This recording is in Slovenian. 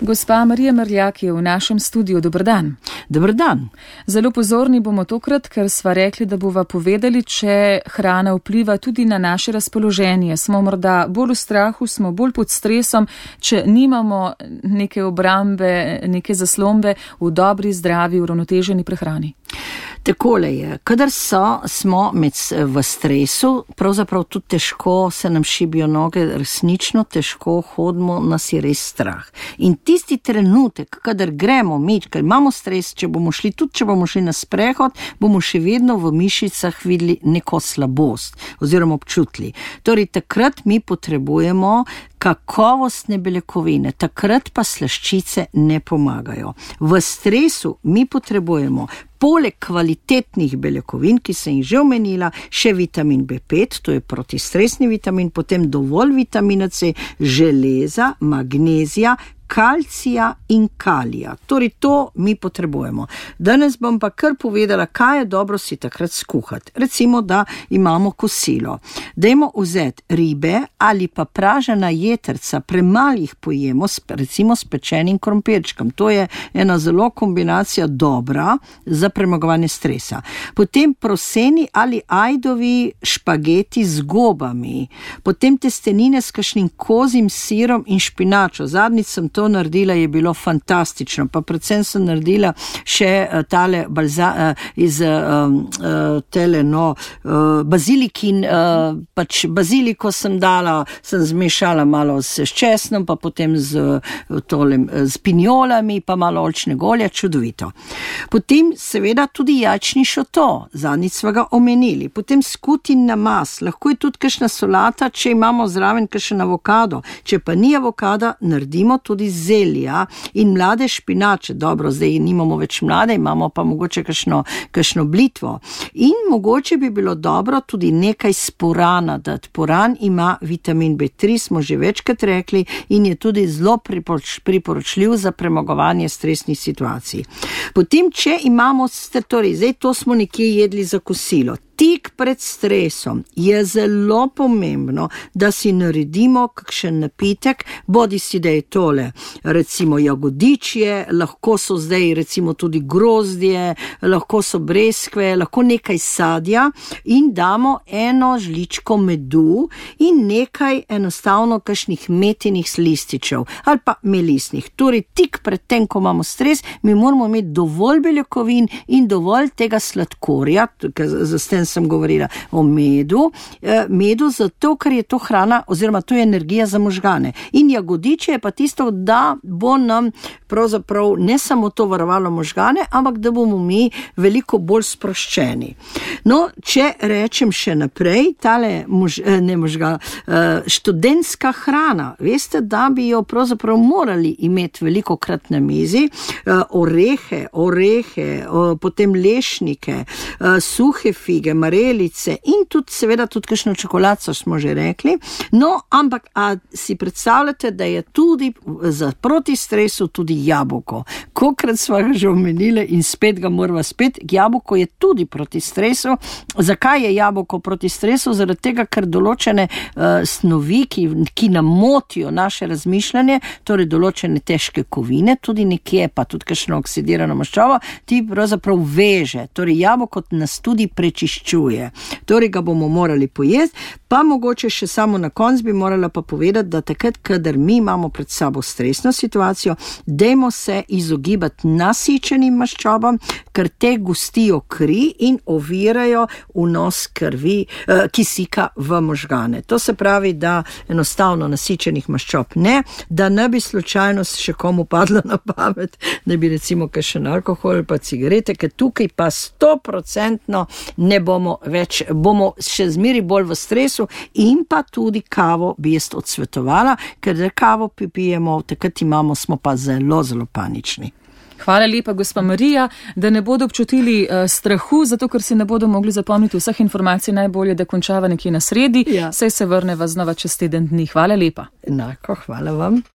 Gospa Marija Mrljak je v našem studiu. Dober dan. Dober dan. Zelo pozorni bomo tokrat, ker sva rekli, da bova povedali, če hrana vpliva tudi na naše razpoloženje. Smo morda bolj v strahu, smo bolj pod stresom, če nimamo neke obrambe, neke zaslombe v dobri, zdravi, uravnoteženi prehrani. Takole je, kadar smo v stresu, pravzaprav tudi težko se nam šibijo noge, resnično težko hodimo, nas je res strah. In tisti trenutek, kadar gremo ker imamo stres, če bomo šli na sprehod, bomo še vedno v mišicah videli neko slabost oziroma občutili. Torej, takrat mi potrebujemo kakovostne beljakovine, takrat pa slaščice ne pomagajo. V stresu mi potrebujemo poleg kvalitetnih beljakovin, ki sem jih že omenila, še vitamin B5, to je protistresni vitamin, potem dovolj vitamina C, železa, magnezija, kalcija in kalija. Torej, to mi potrebujemo. Danes bom pa kar povedala, kaj je dobro si takrat skuhati. Recimo, da imamo kosilo. Dajmo vzeti ribe ali pa pražena jetrca, premalo jih pojemo, recimo s pečenim krompirčkom. To je ena zelo kombinacija dobra za premagovanje stresa. Potem proseni ali ajdovi špageti z gobami. Potem testenine s kakšnim kozjim sirom in špinačo. Zadnjič sem to naredila, je bilo fantastično, pa predvsem sem naredila še tale bazilikin, pač baziliko sem zmešala malo s česnom, pa potem z pinjolami, pa malo oljčnega olja, čudovito. Potem seveda tudi jajčni šoto, zadnjič sva ga omenili, potem skutin namaz, lahko je tudi kakšna solata, če imamo zraven kakšen avokado, če pa ni avokada, naredimo tudi zelja in mlade špinače. Dobro, zdaj nimamo več mlade, imamo pa mogoče kakšno blitvo. In mogoče bi bilo dobro tudi nekaj sporana dati. Poran ima vitamin B3, smo že večkrat rekli, in je tudi zelo priporočljiv za premagovanje stresnih situacij. Potem, če imamo, torej, zdaj to smo nekje jedli za kosilo. Tik pred stresom je zelo pomembno, da si naredimo kakšen napitek, bodi si, da je tole, recimo jagodičje, lahko so zdaj recimo tudi grozdje, lahko so breskve, lahko nekaj sadja in damo eno žličko medu in nekaj enostavno kakšnih metinih lističev ali pa melisnih. Torej, tik pred tem, ko imamo stres, mi moramo imeti dovolj beljakovin in dovolj tega sladkorja, sem govorila o medu zato, ker je to hrana oziroma to je energija za možgane. In jagodiče je pa tisto, da bo nam pravzaprav ne samo to varovalo možgane, ampak da bomo mi veliko bolj sproščeni. No, če rečem še naprej, študentska hrana, veste, da bi jo pravzaprav morali imeti velikokrat na mizi, orehe, potem lešnike, suhe fige, marelice in tudi seveda tudi kakšno čokoladico smo že rekli. No, ampak si predstavljate, da je tudi za proti stresu tudi jabolko. Kolikrat sva ga že omenili in spet ga morava spet, jabolko je tudi proti stresu. Zakaj je jabolko proti stresu? Zaradi tega, ker določene snovi, ki nam motijo naše razmišljanje, torej določene težke kovine, tudi nekje pa tudi kakšno oksidirano maščobo, ti pravzaprav veže. Torej, jabolko nas tudi prečiščuje. Torej ga bomo morali pojesti, pa mogoče še samo na koncu bi morala pa povedati, da takrat, kadar mi imamo pred sabo stresno situacijo, dajmo se izogibati nasičenim maščobam, ker te gostijo kri in ovirajo vnos krvi, kisika v možgane. To se pravi, da enostavno nasičenih maščob ne, da ne bi slučajno še komu padlo na pamet, da bi recimo kakšen alkohol pa cigarete, ker tukaj pa 100% ne bomo več, bomo še zmeri bolj v stresu in pa tudi kavo bi jaz odsvetovala, ker da kavo pijemo, takrat smo pa zelo, zelo panični. Hvala lepa, gospa Marija, da ne bodo občutili strahu, zato ker si ne bodo mogli zapomniti vseh informacij, najbolje, da končava nekje na sredi, saj se vrneva znova čez teden dni. Hvala lepa. Enako, hvala vam.